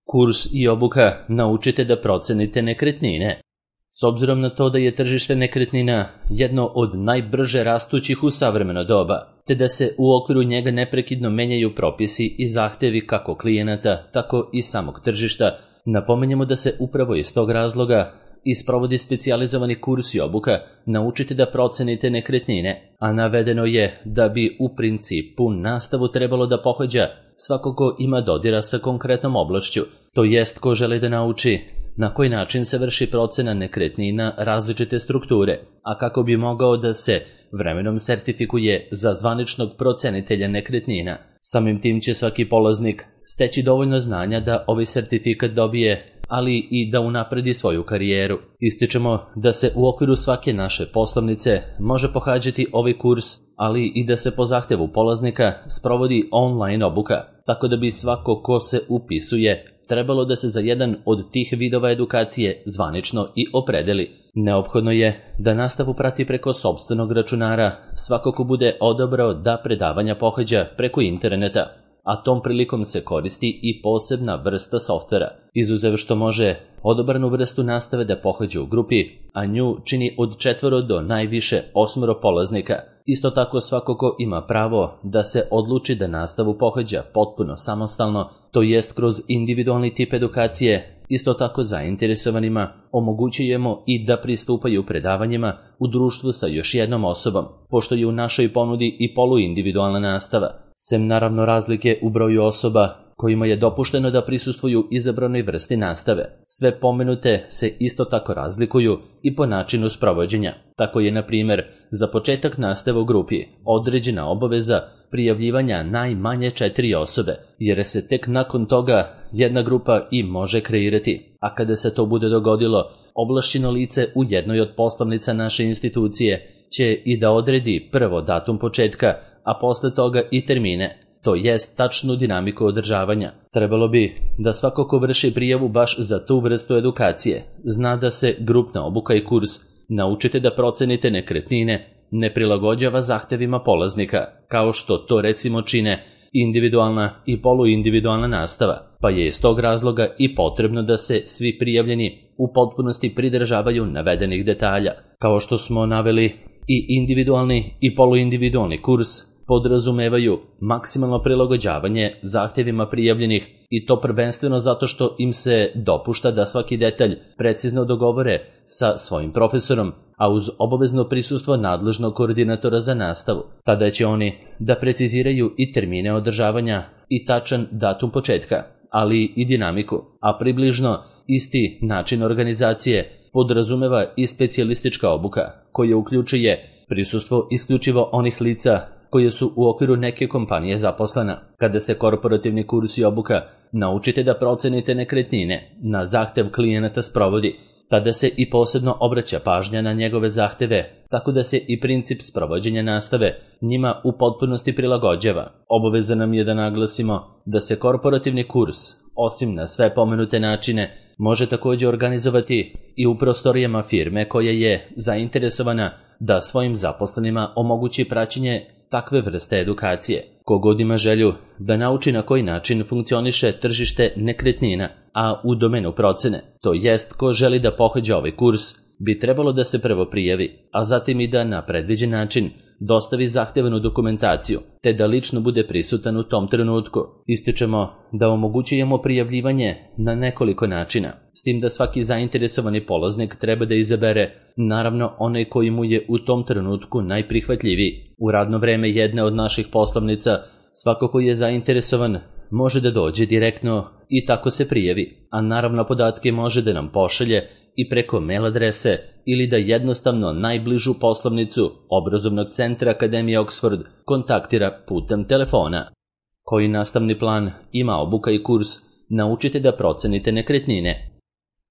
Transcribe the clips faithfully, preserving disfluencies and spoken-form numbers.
Kurs i obuka naučite da procenite nekretnine. S obzirom na to da je tržište nekretnina jedno od najbrže rastućih u savremeno doba, te da se u okviru njega neprekidno menjaju propisi i zahtevi kako klijenata, tako i samog tržišta, napomenjemo da se upravo iz tog razloga i sprovodi specijalizovani kurs i obuka naučite da procenite nekretnine, a navedeno je da bi u principu nastavu trebalo da pohađa svako ko ima dodira sa konkretnom oblašću, to jest ko želi da nauči na koji način se vrši procena nekretnina različite strukture, a kako bi mogao da se vremenom sertifikuje za zvaničnog procenitelja nekretnina. Samim tim će svaki polaznik steći dovoljno znanja da ovaj sertifikat dobije, ali i da unapredi svoju karijeru. Ističemo da se u okviru svake naše poslovnice može pohađati ovaj kurs, ali i da se po zahtevu polaznika sprovodi online obuka, tako da bi svako ko se upisuje trebalo da se za jedan od tih vidova edukacije zvanično i opredeli. Neophodno je da nastavu prati preko sopstvenog računara svako ko bude odabrao da predavanja pohađa preko interneta, a tom prilikom se koristi i posebna vrsta softvera, izuzev što može odabranu vrstu nastave da pohađa u grupi, a nju čini od četvoro do najviše osmoro polaznika. Isto tako svako ko ima pravo da se odluči da nastavu pohađa potpuno samostalno, to jest kroz individualni tip edukacije. Isto tako zainteresovanima omogućujemo i da pristupaju predavanjima u društvu sa još jednom osobom, pošto je u našoj ponudi i poluindividualna nastava, sem naravno razlike u broju osoba kojima je dopušteno da prisustvuju izabranoj vrsti nastave. Sve pomenute se isto tako razlikuju i po načinu sprovođenja. Tako je, na primjer, za početak nastave u grupi određena obaveza prijavljivanja najmanje četiri osobe, jer se tek nakon toga jedna grupa i može kreirati. A kada se to bude dogodilo, ovlašćeno lice u jednoj od poslovnica naše institucije će i da odredi prvo datum početka, a posle toga i termine, to jest tačnu dinamiku održavanja. Trebalo bi da svako ko vrši prijavu baš za tu vrstu edukacije zna da se grupna obuka i kurs naučite da procenite nekretnine ne prilagođava zahtevima polaznika, kao što to recimo čine individualna i poluindividualna nastava, pa je iz tog razloga i potrebno da se svi prijavljeni u potpunosti pridržavaju navedenih detalja. Kao što smo naveli, i individualni i poluindividualni kurs podrazumevaju maksimalno prilagođavanje zahtevima prijavljenih, i to prvenstveno zato što im se dopušta da svaki detalj precizno dogovore sa svojim profesorom, a uz obavezno prisustvo nadležnog koordinatora za nastavu. Tada će oni da preciziraju i termine održavanja i tačan datum početka, ali i dinamiku, a približno isti način organizacije podrazumeva i specijalistička obuka, koja uključuje prisustvo isključivo onih lica koje su u okviru neke kompanije zaposlena. Kada se korporativni kurs i obuka naučite da procenite nekretnine na zahtev klijenata sprovodi, tada se i posebno obraća pažnja na njegove zahteve, tako da se i princip sprovođenja nastave njima u potpunosti prilagođava. Obaveza nam je da naglasimo da se korporativni kurs, osim na sve pomenute načine, može također organizovati i u prostorijama firme koja je zainteresovana da svojim zaposlenima omogući praćenje takve vrste edukacije. Kogod ima želju da nauči na koji način funkcioniše tržište nekretnina, a u domenu procene, to jest ko želi da pohađa ovaj kurs, bi trebalo da se prvo prijavi, a zatim i da na predviđen način dostavi zahtevanu dokumentaciju, te da lično bude prisutan u tom trenutku. Ističemo da omogućujemo prijavljivanje na nekoliko načina, s tim da svaki zainteresovani polaznik treba da izabere naravno onaj koji mu je u tom trenutku najprihvatljiviji. U radno vreme jedne od naših poslovnica svako ko je zainteresovan može da dođe direktno i tako se prijavi, a naravno podatke može da nam pošalje i preko mail adrese ili da jednostavno najbližu poslovnicu obrazovnog centra Akademije Oxford kontaktira putem telefona. Koji nastavni plan ima obuka i kurs naučite da procenite nekretnine?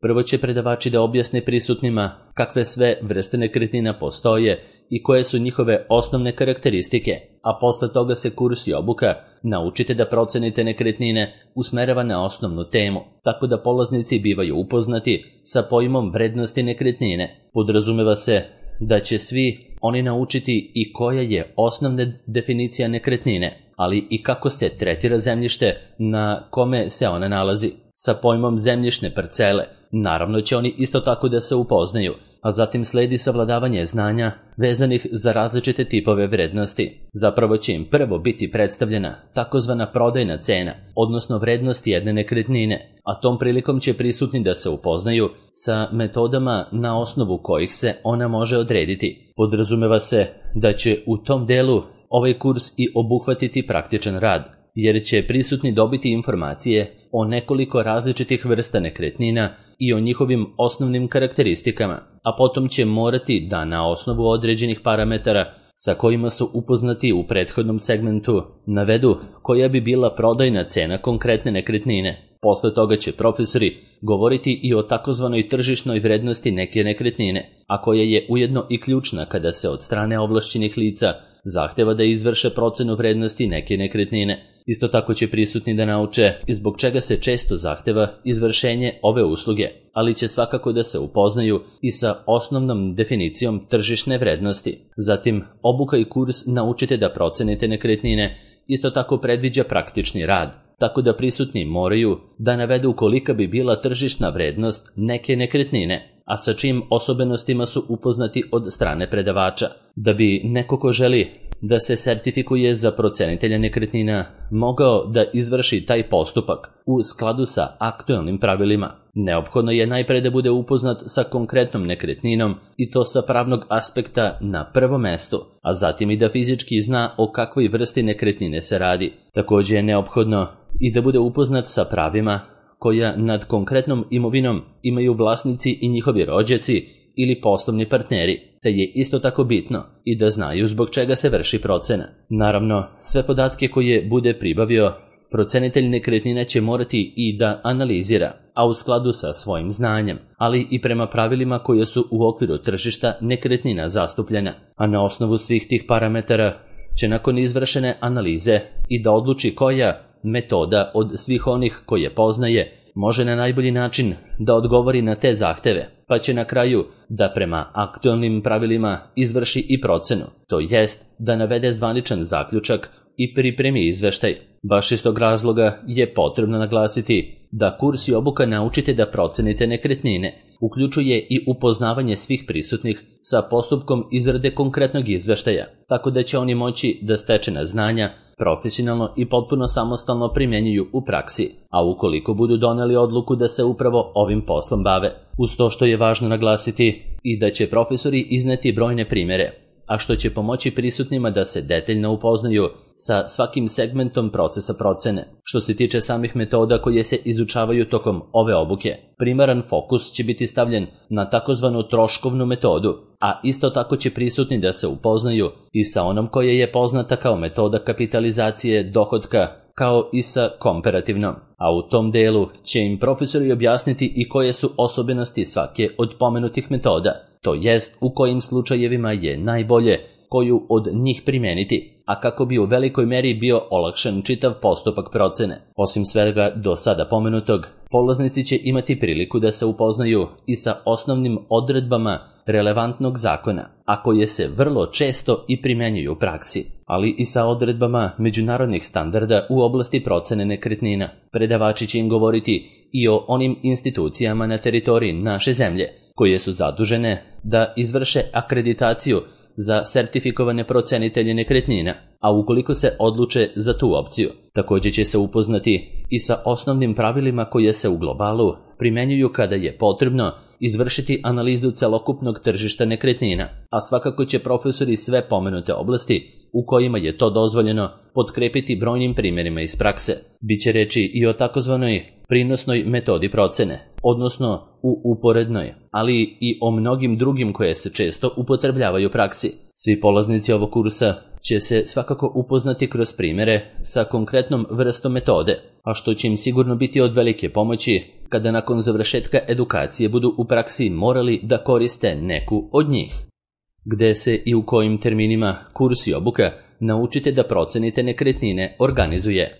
Prvo će predavači da objasne prisutnima kakve sve vrste nekretnina postoje i koje su njihove osnovne karakteristike, a posle toga se kurs i obuka naučite da procenite nekretnine usmerava na osnovnu temu, tako da polaznici bivaju upoznati sa pojmom vrednosti nekretnine. Podrazumeva se da će svi oni naučiti i koja je osnovna definicija nekretnine, ali i kako se tretira zemljište na kome se ona nalazi. Sa pojmom zemljišne parcele, naravno će oni isto tako da se upoznaju, a zatim sledi savladavanje znanja vezanih za različite tipove vrednosti. Zapravo će im prvo biti predstavljena takozvana prodajna cena, odnosno vrednost jedne nekretnine, a tom prilikom će prisutni da se upoznaju sa metodama na osnovu kojih se ona može odrediti. Podrazumeva se da će u tom delu ovaj kurs i obuhvatiti praktičan rad, jer će prisutni dobiti informacije o nekoliko različitih vrsta nekretnina i o njihovim osnovnim karakteristikama, a potom će morati da na osnovu određenih parametara sa kojima su upoznati u prethodnom segmentu navedu koja bi bila prodajna cena konkretne nekretnine. Posle toga će profesori govoriti i o takozvanoj tržišnoj vrednosti neke nekretnine, a koja je ujedno i ključna kada se od strane ovlašćenih lica zahteva da izvrše procenu vrednosti neke nekretnine. Isto tako će prisutni da nauče i zbog čega se često zahteva izvršenje ove usluge, ali će svakako da se upoznaju i sa osnovnom definicijom tržišne vrednosti. Zatim, obuka i kurs Naučite da procenite nekretnine isto tako predviđa praktični rad, tako da prisutni moraju da navedu kolika bi bila tržišna vrednost neke nekretnine, a sa čim osobenostima su upoznati od strane predavača. Da bi neko ko želi da se sertifikuje za procenitelja nekretnina mogao da izvrši taj postupak u skladu sa aktuelnim pravilima, neophodno je najpre da bude upoznat sa konkretnom nekretninom i to sa pravnog aspekta na prvom mestu, a zatim i da fizički zna o kakvoj vrsti nekretnine se radi. Također je neophodno i da bude upoznat sa pravima koja nad konkretnom imovinom imaju vlasnici i njihovi rođaci ili poslovni partneri, te je isto tako bitno i da znaju zbog čega se vrši procena. Naravno, sve podatke koje bude pribavio, procenitelj nekretnina će morati i da analizira, a u skladu sa svojim znanjem, ali i prema pravilima koje su u okviru tržišta nekretnina zastupljena, a na osnovu svih tih parametara će nakon izvršene analize i da odluči koja metoda od svih onih koje poznaje može na najbolji način da odgovori na te zahteve, pa će na kraju da prema aktualnim pravilima izvrši i procenu, to jest da navede zvaničan zaključak i pripremi izveštaj. Baš iz tog razloga je potrebno naglasiti da kurs i obuka Naučite da procenite nekretnine uključuje i upoznavanje svih prisutnih sa postupkom izrade konkretnog izveštaja, tako da će oni moći da stečena znanja profesionalno i potpuno samostalno primjenjuju u praksi, a ukoliko budu doneli odluku da se upravo ovim poslom bave. Uz to što je važno naglasiti i da će profesori izneti brojne primjere, a što će pomoći prisutnima da se detaljno upoznaju sa svakim segmentom procesa procene. Što se tiče samih metoda koje se izučavaju tokom ove obuke, primaran fokus će biti stavljen na takozvanu troškovnu metodu, a isto tako će prisutni da se upoznaju i sa onom koja je poznata kao metoda kapitalizacije dohotka, kao i sa komparativnom, a u tom delu će im profesori objasniti i koje su osobenosti svake od pomenutih metoda, to jest u kojim slučajevima je najbolje koju od njih primeniti, a kako bi u velikoj meri bio olakšan čitav postupak procene. Osim svega do sada pomenutog, polaznici će imati priliku da se upoznaju i sa osnovnim odredbama relevantnog zakona, a koje se vrlo često i primenjuju u praksi, ali i sa odredbama međunarodnih standarda u oblasti procene nekretnina. Predavači će im govoriti i o onim institucijama na teritoriji naše zemlje koje su zadužene da izvrše akreditaciju za sertifikovane procenitelje nekretnina, a ukoliko se odluče za tu opciju, također će se upoznati i sa osnovnim pravilima koje se u globalu primenjuju kada je potrebno izvršiti analizu celokupnog tržišta nekretnina, a svakako će profesori sve pomenute oblasti u kojima je to dozvoljeno potkrepiti brojnim primjerima iz prakse. Biće reči i o takozvanoj prinosnoj metodi procene, odnosno u uporednoj, ali i o mnogim drugim koje se često upotrebljavaju u praksi. Svi polaznici ovog kursa će se svakako upoznati kroz primjere sa konkretnom vrstom metode, a što će im sigurno biti od velike pomoći kada nakon završetka edukacije budu u praksi morali da koriste neku od njih. Gde se i u kojim terminima kurs i obuka Naučite da procenite nekretnine organizuje.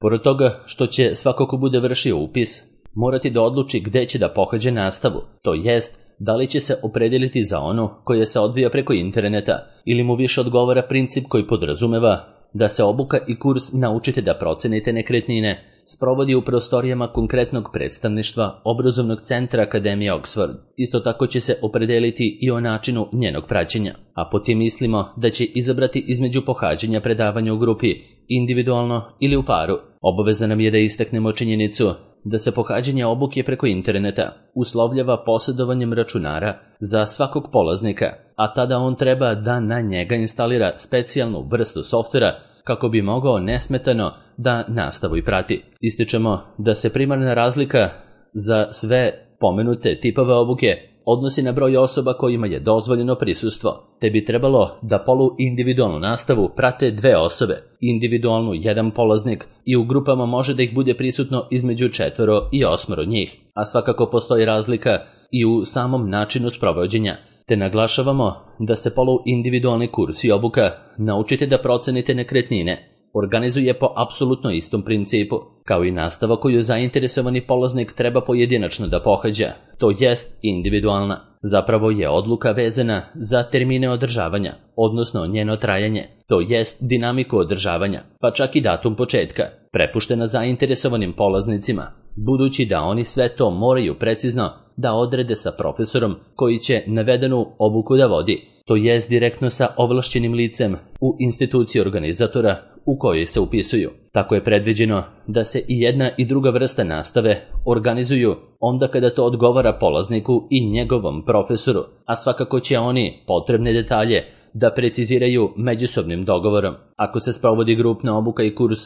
Pored toga što će svako ko bude vršio upis morati da odluči gde će da pohađa nastavu, to jest da li će se opredeliti za onu koja se odvija preko interneta ili mu više odgovara princip koji podrazumeva da se obuka i kurs Naučite da procenite nekretnine sprovodi u prostorijama konkretnog predstavništva obrazovnog centra Akademije Oxford. Isto tako će se opredeliti i o načinu njenog praćenja, a po tim mislimo da će izabrati između pohađanja predavanja u grupi, individualno ili u paru. Obaveza nam je da istaknemo činjenicu da se pohađanje obuke preko interneta uslovljava posjedovanjem računara za svakog polaznika, a tada on treba da na njega instalira specijalnu vrstu softvera kako bi mogao nesmetano da nastavu i prati. Ističemo da se primarna razlika za sve pomenute tipove obuke odnosi na broj osoba kojima je dozvoljeno prisustvo, te bi trebalo da polu individualnu nastavu prate dve osobe, individualnu jedan polaznik i u grupama može da ih bude prisutno između četvoro i osmoro njih, a svakako postoji razlika i u samom načinu sprovođenja, te naglašavamo da se polu individualni kurs i obuka Naučite da procenite nekretnine organizuje po apsolutno istom principu, kao i nastava koju zainteresovani polaznik treba pojedinačno da pohađa, to jest individualna. Zapravo je odluka vezana za termine održavanja, odnosno njeno trajanje, to jest dinamiku održavanja, pa čak i datum početka, prepuštena zainteresovanim polaznicima, budući da oni sve to moraju precizno da odrede sa profesorom koji će navedenu obuku da vodi, to jest direktno sa ovlašćenim licem u instituciji organizatora u kojoj se upisuju. Tako je predviđeno da se i jedna i druga vrsta nastave organizuju onda kada to odgovara polazniku i njegovom profesoru, a svakako će oni potrebne detalje da preciziraju međusobnim dogovorom. Ako se sprovodi grupna obuka i kurs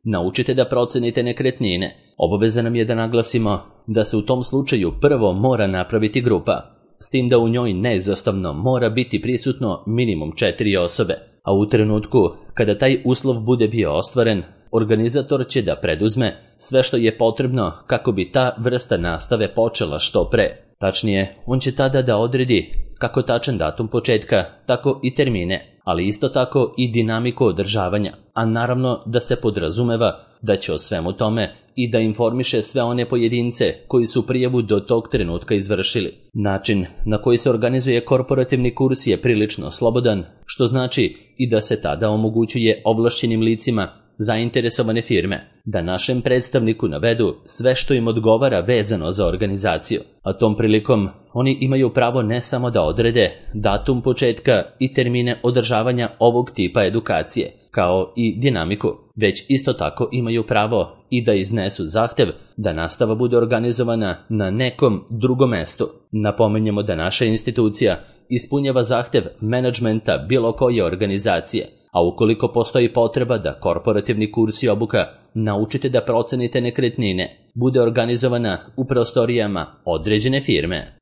Naučite da procenite nekretnine, obaveza nam je da naglasimo da se u tom slučaju prvo mora napraviti grupa, s tim da u njoj neizostavno mora biti prisutno minimum četiri osobe, a u trenutku kada taj uslov bude bio ostvaren, organizator će da preduzme sve što je potrebno kako bi ta vrsta nastave počela što pre. Tačnije, on će tada da odredi kako tačan datum početka, tako i termine, ali isto tako i dinamiku održavanja, a naravno da se podrazumeva da će o svemu tome i da informiše sve one pojedince koji su prijavu do tog trenutka izvršili. Način na koji se organizuje korporativni kurs je prilično slobodan, što znači i da se tada omogućuje ovlašćenim licima zainteresovane firme da našem predstavniku navedu sve što im odgovara vezano za organizaciju, a tom prilikom oni imaju pravo ne samo da odrede datum početka i termine održavanja ovog tipa edukacije, kao i dinamiku, već isto tako imaju pravo i da iznesu zahtev da nastava bude organizovana na nekom drugom mestu. Napominjemo da naša institucija ispunjava zahtev menadžmenta bilo koje organizacije, a ukoliko postoji potreba da korporativni kurs i obuka Naučite da procenite nekretnine bude organizovana u prostorijama određene firme.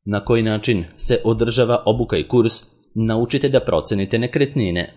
Na koji način se održava obuka i kurs Naučite da procenite nekretnine?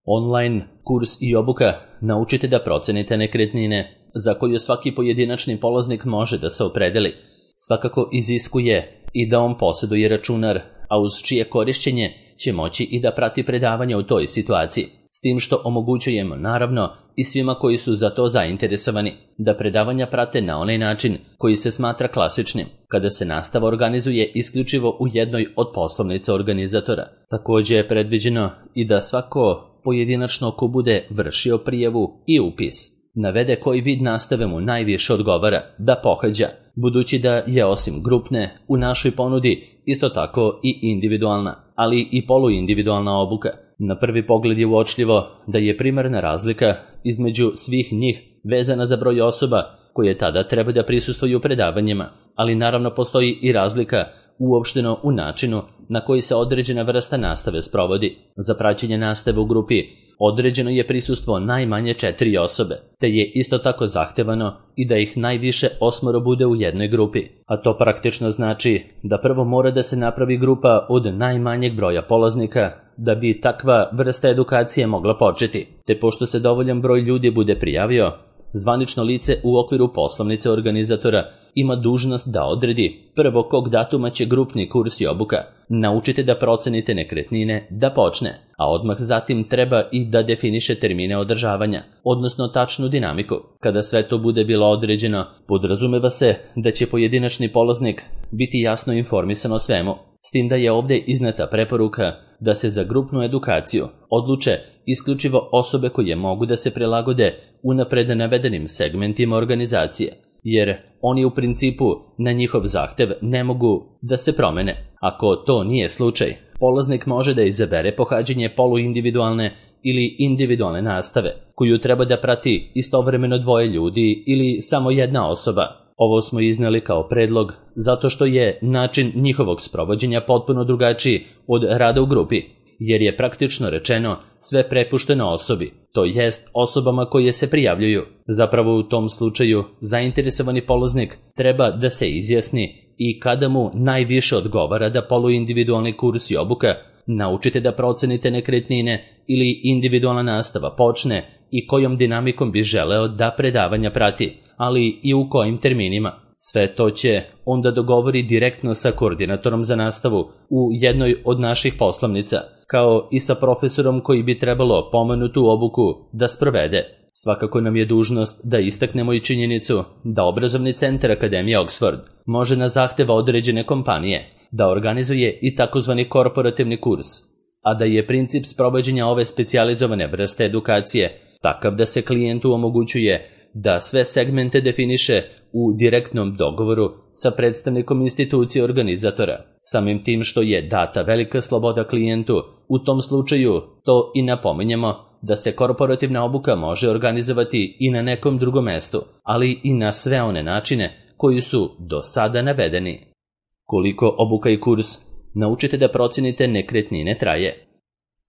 Online kurs i obuka Naučite da procenite nekretnine, za koju svaki pojedinačni polaznik može da se opredeli, svakako iziskuje i da on posjeduje računar, a uz čije korišćenje će moći i da prati predavanja u toj situaciji, s tim što omogućujemo naravno i svima koji su za to zainteresovani da predavanja prate na onaj način koji se smatra klasičnim, kada se nastava organizuje isključivo u jednoj od poslovnica organizatora. Također je predviđeno i da svako pojedinačno ko bude vršio prijavu i upis navede koji vid nastave mu najviše odgovara da pohađa, budući da je osim grupne u našoj ponudi isto tako i individualna, ali i poluindividualna obuka. Na prvi pogled je uočljivo da je primarna razlika između svih njih vezana za broj osoba koje tada treba da prisustvuju predavanjima, ali naravno postoji i razlika uopšteno u načinu na koji se određena vrsta nastave sprovodi. Za praćenje nastave u grupi određeno je prisustvo najmanje četiri osobe, te je isto tako zahtevano i da ih najviše osmoro bude u jednoj grupi, a to praktično znači da prvo mora da se napravi grupa od najmanjeg broja polaznika da bi takva vrsta edukacije mogla početi, te pošto se dovoljan broj ljudi bude prijavio, zvanično lice u okviru poslovnice organizatora ima dužnost da odredi prvo kog datuma će grupni kurs i obuka naučite da procenite nekretnine da počne, a odmah zatim treba i da definiše termine održavanja, odnosno tačnu dinamiku. Kada sve to bude bilo određeno, podrazumeva se da će pojedinačni polaznik biti jasno informisan o svemu, s tim da je ovdje izneta preporuka da se za grupnu edukaciju odluče isključivo osobe koje mogu da se prilagode unapred navedenim segmentima organizacije, jer oni u principu na njihov zahtev ne mogu da se promene. Ako to nije slučaj, polaznik može da izabere pohađanje poluindividualne ili individualne nastave, koju treba da prati istovremeno dvoje ljudi ili samo jedna osoba. Ovo smo izneli kao predlog zato što je način njihovog sprovođenja potpuno drugačiji od rada u grupi, jer je praktično rečeno sve prepušteno osobi, to jest osobama koje se prijavljuju. Zapravo u tom slučaju zainteresovani polaznik treba da se izjasni i kada mu najviše odgovara da poluindividualni kurs i obuka naučite da procenite nekretnine ili individualna nastava počne i kojom dinamikom bi želeo da predavanja prati, ali i u kojim terminima. Sve to će onda dogovori direktno sa koordinatorom za nastavu u jednoj od naših poslovnica, kao i sa profesorom koji bi trebalo pomenutu obuku da sprovede. Svakako nam je dužnost da istaknemo i činjenicu da obrazovni centar Akademije Oxford može na zahteva određene kompanije da organizuje i takozvani korporativni kurs, a da je princip sprovođenja ove specijalizovane vrste edukacije takav da se klijentu omogućuje da sve segmente definiše u direktnom dogovoru sa predstavnikom institucije organizatora. Samim tim što je data velika sloboda klijentu, u tom slučaju to i napominjemo da se korporativna obuka može organizovati i na nekom drugom mestu, ali i na sve one načine koji su do sada navedeni. Koliko obuka i kurs naučite da procenite nekretnine traje?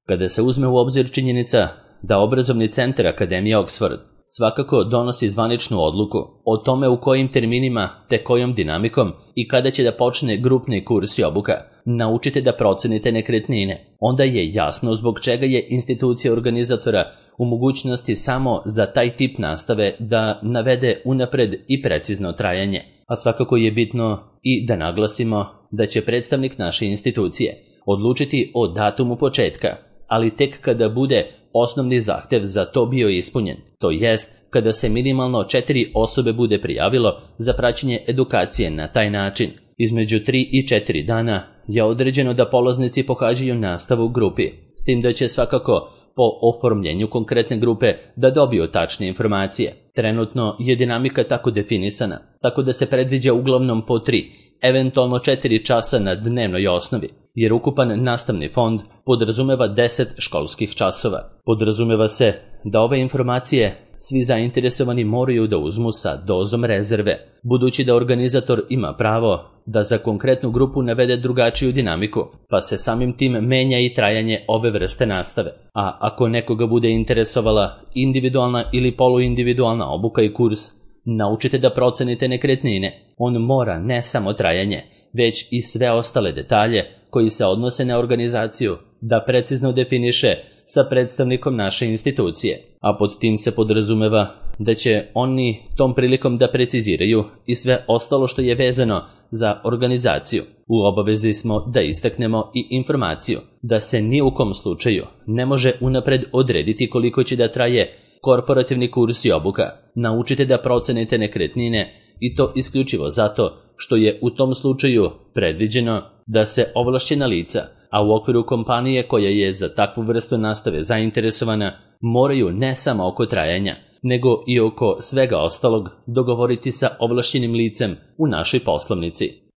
Kada se uzme u obzir činjenica da obrazovni centar Akademije Oxford svakako donosi zvaničnu odluku o tome u kojim terminima te kojom dinamikom i kada će da počne grupni kurs i obuka, naučite da procenite nekretnine, onda je jasno zbog čega je institucija organizatora u mogućnosti samo za taj tip nastave da navede unapred i precizno trajanje. A svakako je bitno i da naglasimo da će predstavnik naše institucije odlučiti o datumu početka, ali tek kada bude osnovni zahtev za to bio ispunjen, to jest kada se minimalno četiri osobe bude prijavilo za praćenje edukacije na taj način. Između tri i četiri dana je određeno da polaznici pohađaju nastavu u grupi, s tim da će svakako po oformljenju konkretne grupe da dobiju tačne informacije. Trenutno je dinamika tako definisana, tako da se predviđa uglavnom po tri, eventualno četiri časa na dnevnoj osnovi, jer ukupan nastavni fond podrazumeva deset školskih časova. Podrazumeva se da ove informacije svi zainteresovani moraju da uzmu sa dozom rezerve, budući da organizator ima pravo da za konkretnu grupu navede drugačiju dinamiku, pa se samim tim menja i trajanje ove vrste nastave. A ako nekoga bude interesovala individualna ili poluindividualna obuka i kurs, naučite da procenite nekretnine. On mora ne samo trajanje, već i sve ostale detalje koji se odnose na organizaciju da precizno definiše sa predstavnikom naše institucije, a pod tim se podrazumeva da će oni tom prilikom da preciziraju i sve ostalo što je vezano za organizaciju. U obavezi smo da istaknemo i informaciju da se ni u kom slučaju ne može unapred odrediti koliko će da traje korporativni kurs i obuka. Naučite da procenite nekretnine i to isključivo zato što je u tom slučaju predviđeno da se ovlašćena lica, a u okviru kompanije koja je za takvu vrstu nastave zainteresovana, moraju ne samo oko trajanja, nego i oko svega ostalog dogovoriti sa ovlašćenim licem u našoj poslovnici.